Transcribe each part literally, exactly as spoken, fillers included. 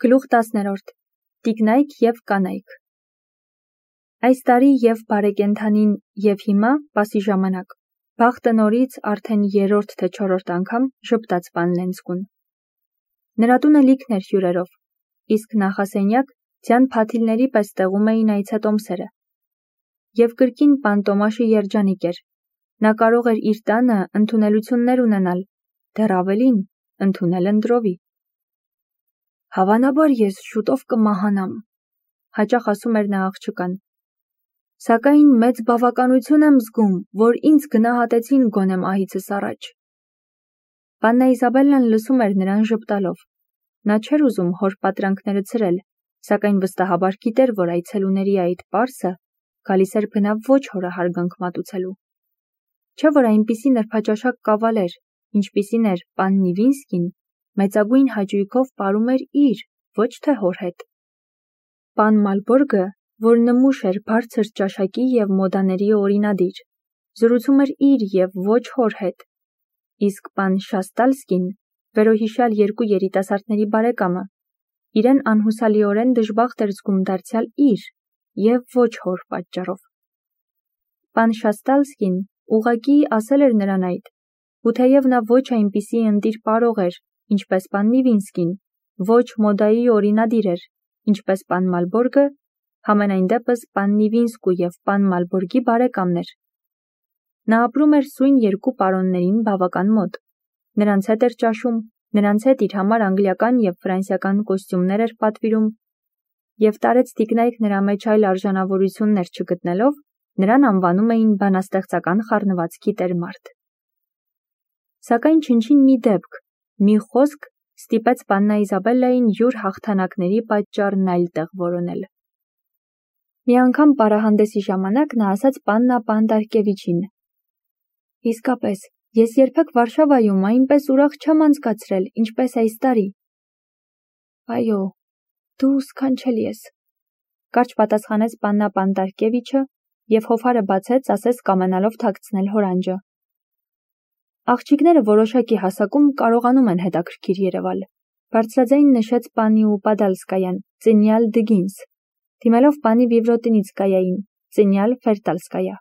Գլուխ տասներորդ. Տիկնայք և կանայք։ Այս տարի և բարեկենդանին և հիմա պասի ժամանակ, բախտը նորից արդեն երրորդ թե չորրորդ անգամ ժպտաց պան Լենցկուն։ Նրա տունը լիքն էր հյուրերով, իսկ նախասենյակ ձյան փաթիլների պես տեղում էին այցետոմսերը։ Եվ կրկին պան Տոմաշը երջանիկ էր, նա կարող էր իր տանը ընդունելություններ ունենալ, դեռ ավելին, ընդունել ընտրովի։ Հավանաբար ես շուտով կմահանամ, հաճախ ասում էր նա աղջկան։ Սակայն մեծ բավականություն եմ զգում, որ ինձ գնահատեցին գոնե մահիցս առաջ։ Պաննա Իզաբելլան լսում էր նրան ժպտալով։ Նա չէր ուզում հոր պատրանքները ցրել, սակայն վստահաբար գիտեր, որ այցելուների այդ պարսը գալիս էր բնավ ոչ հորը հարգանք մատուցելու։ Չէ՞ որ այնպիսի նրբաճաշակ կավալեր, ինչպիսին էր պան Նիվինսկին, մեծագույն հաճույքով պարում էր իր, ոչ թե հոր հետ։ Պան Մալբորգը, որ նմուշ էր բարձր ճաշակի և մոդաների օրինադիր, զրուցում էր իր և ոչ հոր հետ, իսկ պան Շաստալսկին, վերոհիշյալ երկու երիտասարդների բարեկամը, իրեն անհուսալիորեն դժբախտ էր զգում դարձյալ իր և ոչ հոր պատճառով։ Պան Շաստալսկին ուղղակի ասել էր նրան այդ, ու թեև նա ոչ այնպիսի ընտիր պարող էր, ինչպես պան Նիվինսկին, ոչ մոդայի օրինադիր էր, ինչպես պան Մալբորգը, համենայն դեպս պան Նիվինսկու և պան Մալբորգի բարեկամն էր։ Նա ապրում էր սույն երկու պարոններին բավական մոտ, նրանց հետ էր ճաշում, նրանց հետ իր համար անգլիական և ֆրանսիական կոստյումներ էր պատվիրում, և տարեց տիկնայք նրա մեջ այլ արժանավորություններ չգտնելով, նրան անվանում էին բանաստեղծական խառնվածքի տեր-մարդ։ Սակայն չնչին մի դեպք, մի խոսք ստիպեց պաննա Իզաբելլային յուր հաղթանակների պատճառն այլ տեղ որոնել։ Մի անգամ պարահանդեսի ժամանակ նա ասաց պաննա Պանտարկևիչին. «Իսկապես, ես երբեք Վարշավայում այնպես ուրախ չեմ անցկացրել, ինչպես այս տարի»։ «Այո, դու սքանչելի ես», կարճ պատասխանեց պաննա Պանտարկևիչը և հոֆարը բացեց, ասես կամենալով թաքցնել հորանջը։ Աղջիկները որոշակի հասակում կարողանում են հետաքրքիր երևալ, բարձրաձայն նշեց պանի Ուպադալսկայան, ծնյալ Դգինս, դիմելով պանի Վիվրոտինիցկայային, ծնյալ Ֆերտալսկայա։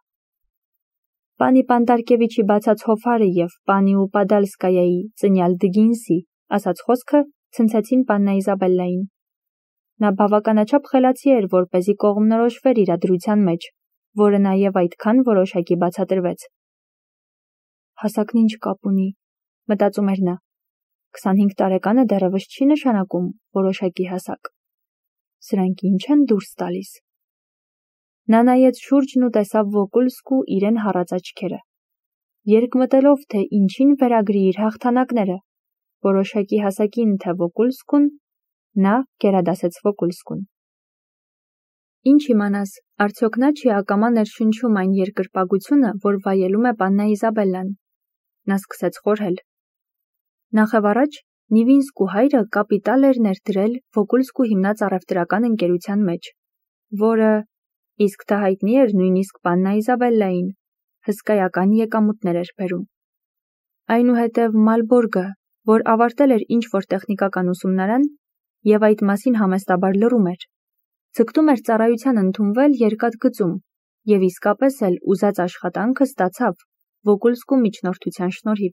Պանի Պանտարկևիչի բացած հոֆարը և պանի Ուպադալսկայայի, ծնյալ Դգինսի, ասաց խոսքը ցնցեցին պաննա Իզաբելլային։ Նա բավականաչափ խելացի էր, որպեսզի կողմնորոշվեր իրադրության մեջ, որը նաև այդքան որոշակի բացատրվեց։ Հասակն ինչ կապ ունի, մտածում էր նա, քսանհինգ տարեկանը դեռևս չի նշանակում որոշակի հասակ։ Սրանք ինչ են դուրս տալիս։ Նա նայեց շուրջն ու տեսավ Վոկուլսկու իրեն հառած աչքերը։ Երկմտելով, թե ինչին վերագրի իր հաղթանակները, որոշակի հասակին թե Վոկուլսկուն, նա գերադասեց Վոկուլսկուն։ Ինչ իմանաս, արդյոք նա չի ակամա ներշնչում այն երկրպագությունը, որ վայելում է պաննա Իզաբելլան։ Նա սկսեց խորհել։ Նախևառաջ Նիվինսկու հայրը կապիտալ էր ներդրել Վոկուլսկու հիմնած առևտրական ընկերության մեջ, որը, իսկ դա հայտնի էր նույնիսկ պաննա Իզաբելլային, հսկայական եկամուտներ էր բերում։ Այնուհետև Մալբորգը, որ ավարտել էր ինչ-որ տեխնիկական ուսումնարան և այդ մասին համեստաբար լռում էր, ձգտում էր ծառայության ընդունվել երկաթգծում և իսկապես էլ ուզած աշխատանքը ստացավ Վոկուլսկու միջնորդության շնորհիվ,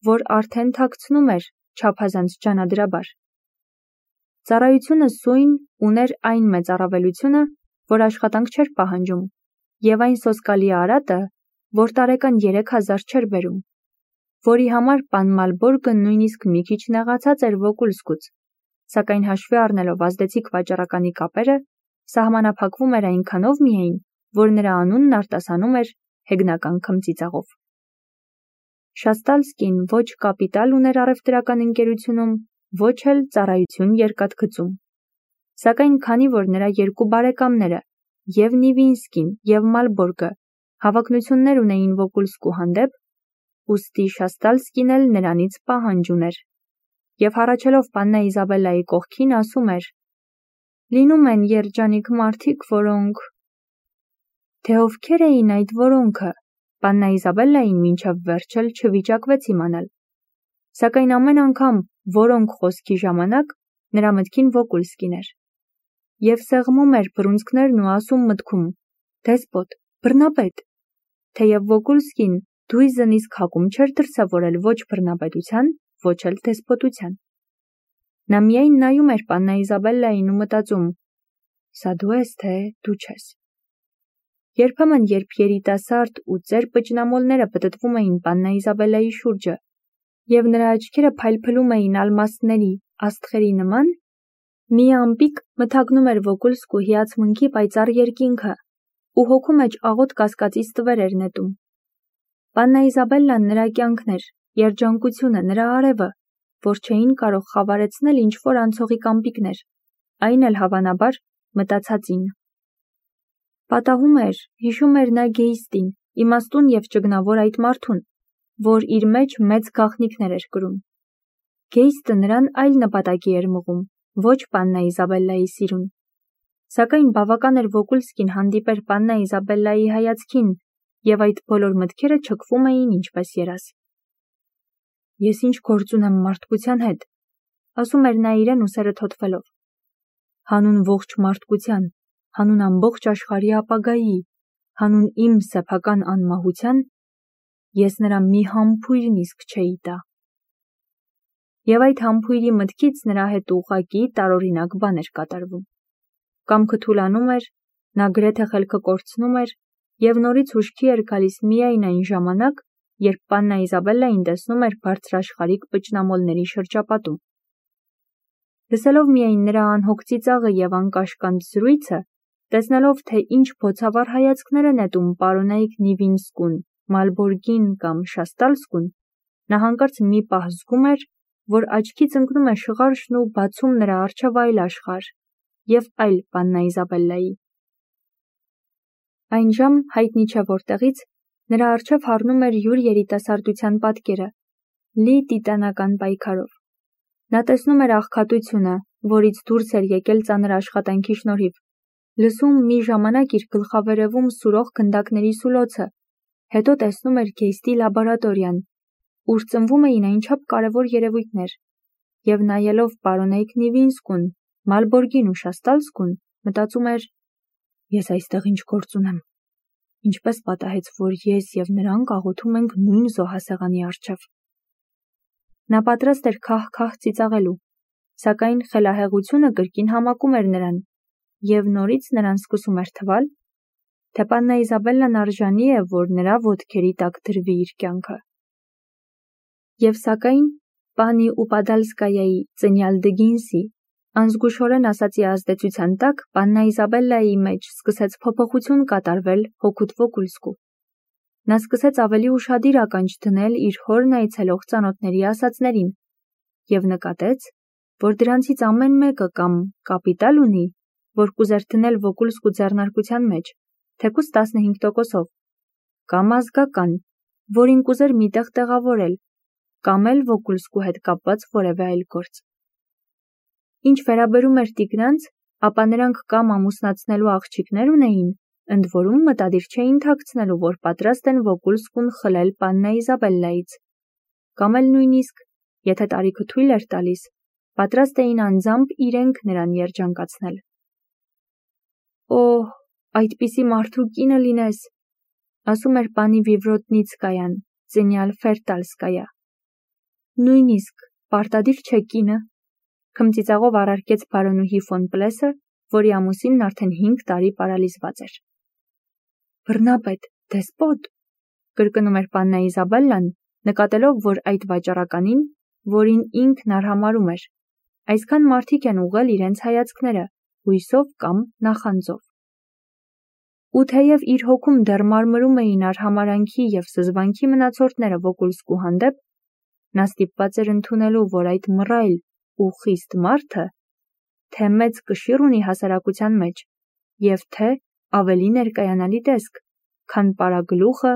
որ արդեն թաքցնում էր չափազանց ջանադրաբար։ Ծառայությունը սույն ուներ այն մեծ առավելությունը, որ աշխատանք չէր պահանջում, և այն սոսկալի արատը, որ տարեկան երեք հազար չէր բերում, որի համար պան Մալբորգը նույնիսկ մի քիչ նեղացած էր Վոկուլսկուց, սակայն հաշվի առնելով ազդեցիկ վաճառականի կապերը, սահմանափակվում էր այնքանով միայն, որ նրա անունն արտասանում էր հեգնական քմծիծաղով։ Շաստալսկին ոչ կապիտալ ուներ առևտրական ընկերությունում, ոչ էլ ծառայություն երկաթգծում։ Սակայն քանի որ նրա երկու բարեկամները, և Նիվինսկին, և Մալբորգը, հավակնություններ ունեին Վոկուլսկու հանդեպ, ուստի Շաստալսկին էլ նրանից պահանջ ուներ, և հառաչելով պաննա Իզաբելլայի կողքին ասում էր. «Լինում են երջանիկ մարդիկ, որոնք…» Թե ովքեր էին այդ որոնքը, պաննա Իզաբելլային մինչև վերջ էլ չվիճակվեց իմանալ։ Սակայն ամեն անգամ որոնք խոսքի ժամանակ նրա մտքին Վոկուլսկին էր։ Եվ սեղմում էր բռունցքներն ու ասում մտքում. «Դեսպոտ, բռնապետ», թեև Վոկուլսկին դույզն իսկ հակում չէր դրսևորել ոչ բռնապետության, ոչ էլ դեսպոտության։ Նա միայն նայում էր պաննա Իզաբելլային ու մտածում. «Սա դու ես, թե դու չես»։ Երբեմն, երբ երիտասարդ ու ծեր պճնամոլները պտտվում էին պաննա Իզաբելլայի շուրջը, և նրա աչքերը փայլփլում էին ալմաստների, աստղերի նման, մի ամպիկ մթագնում էր Վոկուլսկու հիացմունքի պայծառ երկինքը ու հոգու մեջ աղոտ կասկածի ստվեր էր նետում։ Պաննա Իզաբելլան նրա կյանքն էր, երջանկությունը, նրա արևը, որ չէին կարող խավարեցնել ինչ-որ անցողիկ ամպիկներ, այն էլ հավանաբար մտածածին։ Պատահում էր, հիշում էր նա Գեյստին, իմաստուն և ճգնավոր այդ մարդուն, որ իր մեջ մեծ գաղտնիքներ էր կրում։ Գեյստը նրան այլ նպատակի էր մղում, ոչ պաննա Իզաբելլայի սիրուն։ Սակայն բավական էր Վոկուլսկին հանդիպեր պաննա Իզաբելլայի հայացքին, և այդ բոլոր մտքերը չքվում էին ինչպես երազ։ «Ես ինչ գործ ունեմ մարդկության հետ», ասում էր նա իրեն ուսերը թոթվելով։ «Հանուն ողջ մարդկության, հանուն ամբողջ աշխարհի ապագայի, հանուն իմ սեփական անմահության, ես նրա մի համբույրն իսկ չէի տա»։ Եվ այդ համբույրի մտքից նրա հետ ուղղակի տարօրինակ բան էր կատարվում։ Կամքը թուլանում էր, նա գրեթե խելքը կորցնում էր և նորից հուշքի էր գալիս միայն այն ժամանակ, երբ պաննա Իզաբելլային տեսնում էր բարձրաշխարհիկ պճնամոլների շրջապատում։ Լսելով միայն նրա անհոգ ծիծաղը և անկաշկանդ զրույցը, տեսնելով, թե ինչ բոցավառ հայացքներ է նետում պարոնայք Նիվինսկուն, Մալբորգին կամ Շաստալսկուն, նա հանկարծ մի պահ զգում էր, որ աչքից ընկնում է շղարշն ու բացում նրա առջև այլ աշխարհ և այլ պաննա Իզաբելլայի։ Այն ժամ հայտնի չէ որտեղից նրա առջև հառնում էր յուր երիտասարդության պատկերը, լի տիտանական պայքարով։ Նա տեսնում էր աղքատությունը, որից դուրս էր եկել ծանր աշխատանքի շնորհիվ, լսում մի ժամանակ իր գլխավերևում սուրող գնդակների սուլոցը, հետո տեսնում էր Գեյստի լաբորատորիան, ուր ծնվում էին այնչափ կարևոր երևույթներ, և նայելով պարոնայք Նիվինսկուն, Մալբորգին ու Շաստալսկուն, մտածում էր. «Ես այստեղ ինչ գործ ունեմ, ինչպես պատահեց, որ ես և նրանք աղոթում ենք նույն զոհասեղանի առջև»։ Նա պատրաստ էր քահ-քահ ծիծաղելու, սակայն խելահեղությունը կրկին համակում էր նրան, և նորից նրան սկսում էր թվալ, թե պաննա Իզաբելլան արժանի է, որ նրա ոտքերի տակ դրվի իր կյանքը։ Եվ սակայն պանի Ուպադալսկայայի ծնյալ Դգինսի անզգուշորեն ասացի ազդեցության տակ պաննա Իզաբելլայի մեջ սկսեց փոփոխություն կատարվել հօգուտ Վոկուլսկու։ Նա սկսեց ավելի ուշադիր ականջ դնել իր հորն այցելող ծանոթների ասածներին և նկատեց, որ դրանցից ամեն մեկը կամ կապիտալ ունի, որ կուզեր դնել Վոկուլսկու ձեռնարկության մեջ, թեկուզ տասնհինգ տոկոսով, կամ ազգական, որին կուզեր մի տեղ տեղավորել, կամ էլ Վոկուլսկու հետ կապված որևէ այլ գործ։ Ինչ վերաբերում էր տիկնանց, ապա նրանք կամ ամուսնացնելու աղջիկներ ունեին, ընդ որում մտադիր չէին թաքցնելու, որ պատրաստ են Վոկուլսկուն խլել պաննա Իզաբելլայից, կամ էլ նույնիսկ, եթե տարիքը թույլ էր տալիս, պատրաստ էին անձամբ իրենք նրան երջանկացնել։ «Օհ, այդպիսի մարդու կինը լինես», ասում էր պանի Վիվրոտնիցկայան, ծնյալ Ֆերտալսկայա։ «Նույնիսկ պարտադիր չէ կինը», քմծիծաղով առարկեց բարոնուհի ֆոն Պլեսը, որի ամուսինն արդեն հինգ տարի պարալիզված էր։ «Բռնապետ, դեսպոտ», կրկնում էր պաննա Իզաբելլան, նկատելով, որ այդ վաճառականին, որին ինքն արհամարհում էր, այսքան մարդիկ են ուղղել իրենց հայացքները, հույսով կամ նախանձով։ Ու թեև իր հոգում դեռ մարմրում էին արհամարհանքի և զզվանքի մնացորդները Վոկուլսկու հանդեպ, նա ստիպված էր ընդունելու, որ այդ մռայլ ու խիստ մարդը թե մեծ կշիռ ունի հասարակության մեջ և թե ավելի ներկայանալի տեսք, քան պարագլուխը,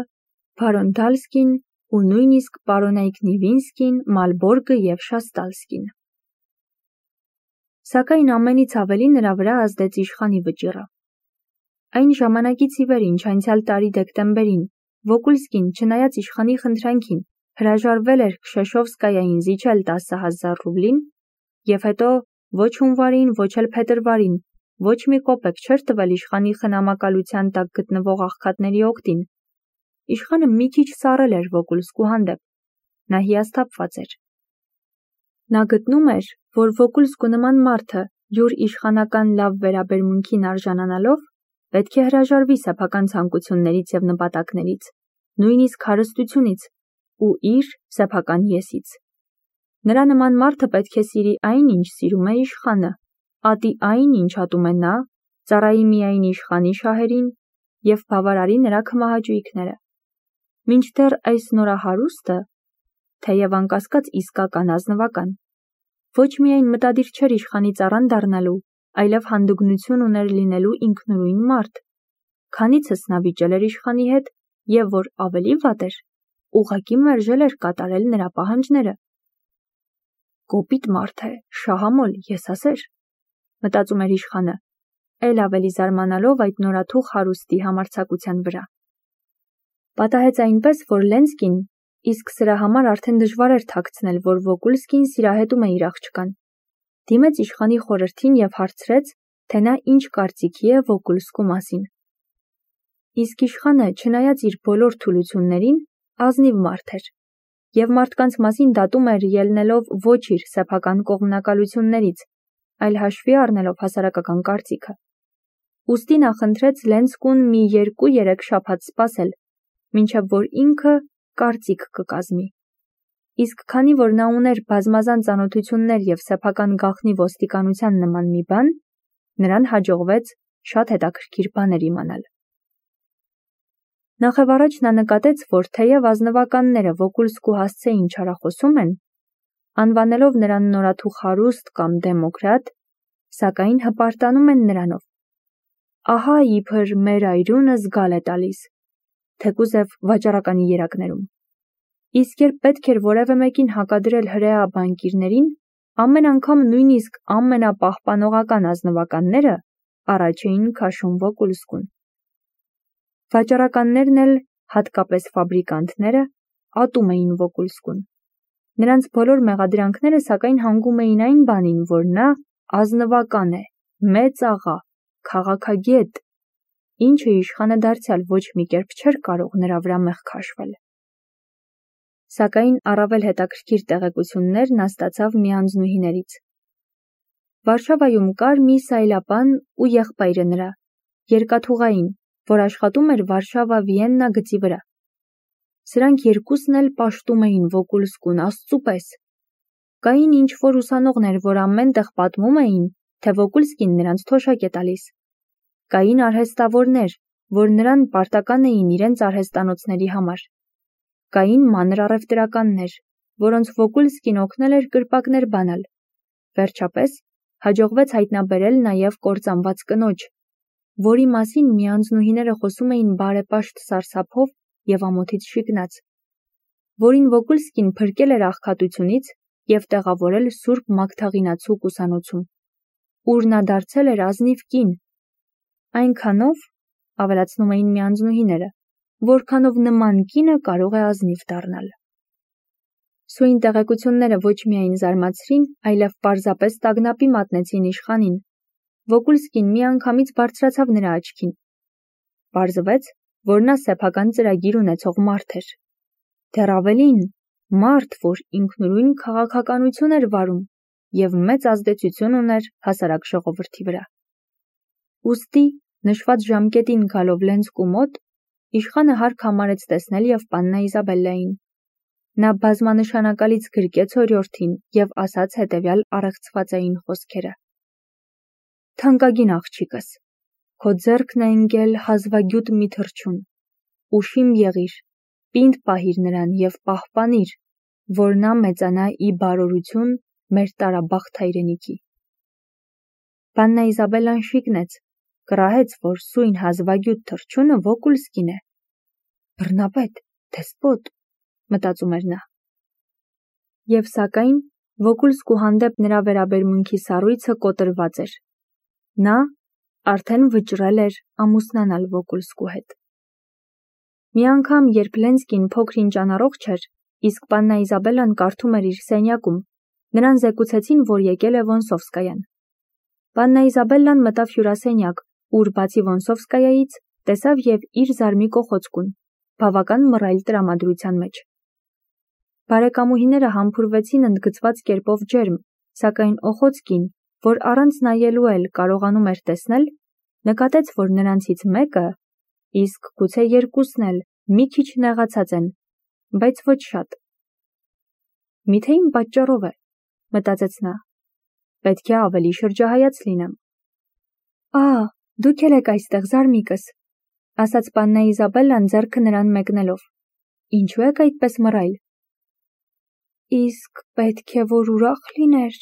բարոն Դալսկին ու նույնիսկ պարոնայք Նիվինսկին, Մալբորգը և Շաստալսկին։ Սակայն ամենից ավելի նրա վրա ազդեց իշխանի վճիռը։ Այն ժամանակից ի վեր, ինչ անցյալ տարի դեկտեմբերին Վոկուլսկին, չնայած իշխանի խնդրանքին, հրաժարվել էր Քշեշովսկայային զիջել տասը հազար ռուբլին և հետո ոչ հունվարին, ոչ էլ փետրվարին, ոչ մի կոպեկ չէր տվել իշխանի խնամակալության տակ գտնվող աղքատների օգտին։ Իշխանը մի քիչ սառել էր Վոգուլսկու հանդեպ։ Նա հիասթափված էր։ Նա գտնում էր, որ Վոգուլսկու նման մարդը յուր իշխանական լավ վերաբերմունքին արժանանալով պետք է հրաժարվի սեփական ցանկություններից եւ նպատակներից, նույնիսկ հարստությունից ու իր սեփական եսից։ Նրա նման մարդը պետք է սիրի այն, ինչ սիրում է իշխանը, ատի այն, ինչ ատում է նա, ծառայի միայն իշխանի շահերին եւ բավարարի նրա քմահաճույքները։ Մինչդեռ այս նորահարուստը, թեև անկասկած իսկական ազնվական, ոչ միայն մտադիր չէր իշխանի ծառան դառնալու, այլև հանդգնություն ուներ լինելու ինքնուրույն մարդ, քանիցս նա վիճել էր իշխանի հետ եւ որ ավելի վատ էր, ուղղակի մերժել էր կատարել նրա պահանջները։ Կոպիտ մարդ է, շահամոլ, եսասեր, մտածում էր իշխանը, էլ ավելի զարմանալով այդ նորաթուխ հարուստի համարձակության վրա։ Պատահեց այնպես, որ Լենսկին իսկ սրա համար արդեն դժվար էր թաքցնել, որ Վոգուլսկին սիրահետում է իր աղջկան։ Դիմեց իշխանի խորհրդին եւ հարցրեց, թե նա ինչ կարծիքի է Վոգուլսկու մասին։ Իսկ իշխանը, չնայած իր բոլոր թուլություններին, ազնիվ մարդ էր եւ մարդկանց մասին դատում էր ելնելով ոչ իր սեփական կողմնակալություններից, այլ հաշվի առնելով հասարակական կարծիքը։ Ուստի նա խնդրեց Լենսկուն մի երկու-երեք շաբաթ սպասել, մինչև որ ինքը կարծիք կկազմի։ Իսկ քանի որ նա ուներ բազմազան ծանոթություններ եւ սեփական գաղտնի ոստիկանության նման մի բան, նրան հաջողվեց շատ հետաքրքիր բաներ իմանալ։ Նախևառաջ նա նկատեց, որ թեև ազնվականները Վոգուլսկու հասցեին չարախոսում են, անվանելով նրան նորաթուխ հարուստ կամ դեմոկրատ, սակայն հպարտանում են նրանով։ Ահա իբր մեր այրունը զգալ է տալիս, թեկուզև վաճառականի երակներում։ Իսկ երբ պետք էր որևէ մեկին հակադրել հրեա բանկիրներին, ամեն անգամ նույնիսկ ամենապահպանողական ազնվականները առաջ էին քաշում Վոգուլսկուն։ Վաճառականներն էլ, հատկապես ֆաբրիկանտները, ատում էին Վոգուլսկուն։ Նրանց բոլոր մեղադրանքները սակայն հանգում էին այն բանին, որ նա ազնվական է, մեծ աղա, քաղաքագետ, ինչը իշխանը դարձյալ ոչ մի կերպ չէր կարող նրա վրա մեղք քաշվել։ Սակայն առավել հետաքրքիր տեղեկություններ նա ստացավ մի անձնուհիներից։ Վարշավայում կար մի սայլապան ու եղբայրը նրա, երկաթուղային, որ աշխատում էր Վարշավա-Վիեննա գծի վրա։ Սրանք երկուսն էլ պաշտում էին Վոգուլսկուն աստծու պես։ Կային ինչ-որ ուսանողներ, որ ամեն տեղ պատմում էին, թե Վոգուլսկին նրանց թոշակ է տալիս։ Կային արհեստավորներ, որ նրան պարտական էին իրենց արհեստանոցների համար։ Կային մանր առևտրականներ, որոնց Վոգուլսկին օգնել էր կրպակներ բանալ։ Վերջապես հաջողվեց հայտնաբերել նաև կործանված կնոջ, որի մասին մի անձնուհիները խոսում էին բարեպաշտ սարսափով եւ ամոթից շիկնած, որին Վոգուլսկին փրկել էր աղքատությունից եւ տեղավորել Սուրբ Մագդաղինացու ուսանոցում, ուր նա դարձել էր ազնիվ կին, այնքանով, ավելացնում էին մի անձնուհիները, որքանով նման կինը կարող է ազնիվ դառնալ։ Սույն տեղեկությունները ոչ միայն զարմացրին, այլև պարզապես տագնապի մատնեցին իշխանին։ Վոգուլսկին միանգամից բարձրացավ նրա աչքին։ Պարզվեց, որ նա սեփական ծրագիր ունեցող մարդ էր։ Դեռ ավելին, մարդ, որ ինքնուրույն քաղաքականություն էր վարում եւ մեծ ազդեցություն ուներ հասարակ ժողովրդի վրա։ Ուստի, նշված ժամկետին գալով Լենսկու մոտ, իշխանը հարկ համարեց տեսնել եւ պաննա Իզաբելլային։ Նա բազմանշանակալից գրկեց օրիորդին եւ ասաց հետեւյալ առեղծվածային խոսքերը. Թանկագին աղջիկս, քո ձեռքն է ընկել հազվագյուտ մի թռչուն, ուշիմ եղիր, պինդ պահիր նրան եւ պահպանիր, որ նա մեծանա ի բարօրություն մեր տարաբախտ հայրենիքի։ Պաննա Իզաբելլան շիկնեց, կռահեց, որ սույն հազվագյուտ թռչունը Վոգուլսկին է։ Բռնապետ, դեսպոտ, մտածում էր նա։ Եվ սակայն Վոգուլսկու հանդեպ նրա վերաբերմունքի սառույցը կոտրված էր։ Նա արդեն վճռել էր ամուսնանալ Վոգուլսկու հետ։ Մի անգամ, երբ Լենսկին փոքր-ինչ անառողջ էր, իսկ պաննա Իզաբելլան կարդում էր իր սենյակում, Նրան զեկուցեցին, որ եկել է Վոնսովսկայան։ Պաննա Իզաբելլան մտավ հյուրասենյակ, ուր բացի Վոնսովսկայայից տեսավ և իր զարմիկ Օխոցկուն, բավական մռայլ տրամադրության մեջ։ Բարեկամուհիները համբուրվեցին ընդգծված կերպով ջերմ, սակայն Օխոցկին, որ առանց նայելու էլ կարողանում էր տեսնել, նկատեց, որ նրանցից մեկը, իսկ գուցե երկուսն էլ, մի քիչ նեղացած են, բայց ոչ շատ։ Միթե իմ պատճառով է, մտածեց նա, պետք է ավելի շրջահայաց լինեմ։ Ա, դուք էլ եք այստեղ, զարմիկս, ասաց Պաննա Իզաբելլան ձեռքը նրան մեկնելով։ Ինչու եք այդպես մռայլ։ Իսկ պետք է որ ուրախ լիներ,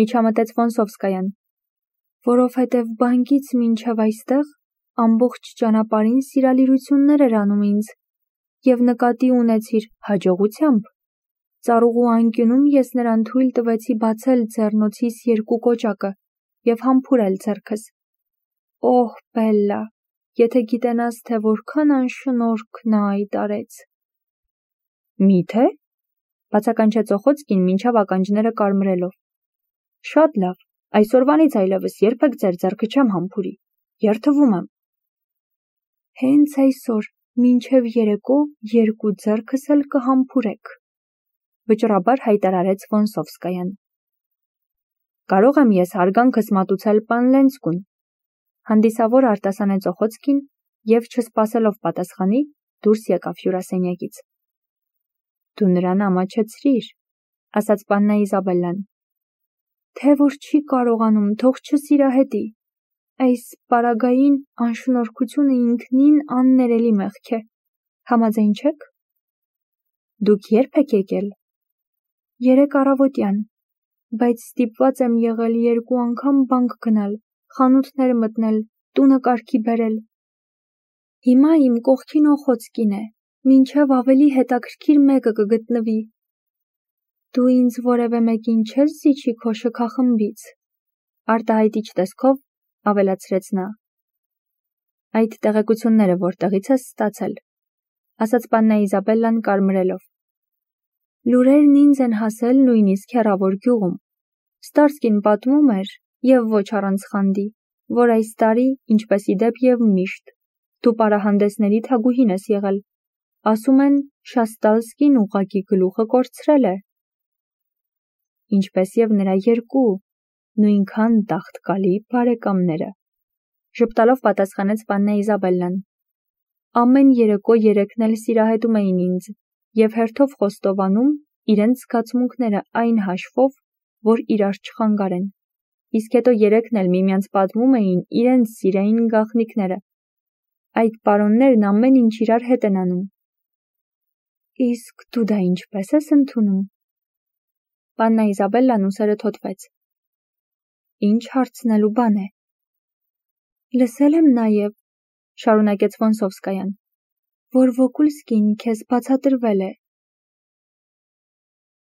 միջամտեց Վոնսովսկայան, որովհետև բանկից մինչև այստեղ ամբողջ ճանապարհին սիրալիրություններ էր անում ինձ, և նկատի ունեցիր հաջողությամբ։ Ծառուղու անկյունում ես նրան թույլ տվեցի բացել ձեռնոցիս երկու կոճակը և համբուրել ձեռքս։ Օհ, Բելլա, եթե գիտենաս, թե որքան անշնորհք նա այդ արեց։ Միթե, բացականչեց Օխոցկին մինչև ականջները կարմրելով։ Շատ լավ, այսօրվանից այլևս երբեք ձեր ձեռքը չեմ համբուրի, երդվում եմ։ Հենց այսօր, մինչև երեկո երկու ձեռքս էլ կհամբուրեք, վճռաբար հայտարարեց Վոնսովսկայան։ Կարող եմ ես հարգանքս մատուցել պան Լենցկուն, հանդիսավոր արտասանեց Օխոցկին և չսպասելով պատասխանի, դուրս եկավ հյուրասենյակից։ Դու նրան ամաչեցրիր, ասաց Պաննա Իզաբելլան։ Թե որ չի կարողանում, թող չսիրահետի։ Այս պարագային անշնորհքությունը ինքնին աններելի մեղք է, համաձայն չեք։ Դուք երբ եք եկել։ Երեկ առավոտյան, բայց ստիպված եմ եղել երկու անգամ բանկ գնալ, խանութներ մտնել, տունը կարգի բերել։ Հիմա իմ կողքին Օխոցկին է, մինչև ավելի հետաքրքիր մեկը կգտնվի։ Դու ինձ որևէ մեկին չես զիջի քո շքախմբից, արտահայտիչ տեսքով ավելացրեց նա։ Այդ տեղեկությունները որտեղից ես ստացել, ասաց Պաննա Իզաբելլան կարմրելով։ Լուրերն ինձ են հասել նույնիսկ հեռավոր գյուղում։ Ստարսկին պատմում էր, և ոչ առանց խանդի, որ այս տարի, ինչպես իդեպ և միշտ, դու պարահանդեսների թագուհին ես եղել։ Ասում են, Շաստալսկին ուղղակի գլուխը կորցրել է։ Ինչպես և նրա երկու, նույնքան տաղտկալի բարեկամները, ժպտալով պատասխանեց Պաննա Իզաբելլան։ Ամեն երեկո երեքն էլ սիրահետում էին ինձ և հերթով խոստովանում իրենց զգացմունքները այն հաշվով, որ իրար չխանգարեն, իսկ հետո երեքն էլ միմյանց պատմում էին իրենց սիրային գաղտնիքները։ Այդ պարոններն ամեն ինչ իրար հետ են անում։ Իսկ դու դա ինչպես ես ընդունում։ Պաննա Իզաբելլան ուսերը թոթվեց։ Ինչ հարցնելու բան է։ Լսել եմ նաև, շարունակեց Վոնսովսկայան, որ Վոկուլսկին քեզ բացատրվել է,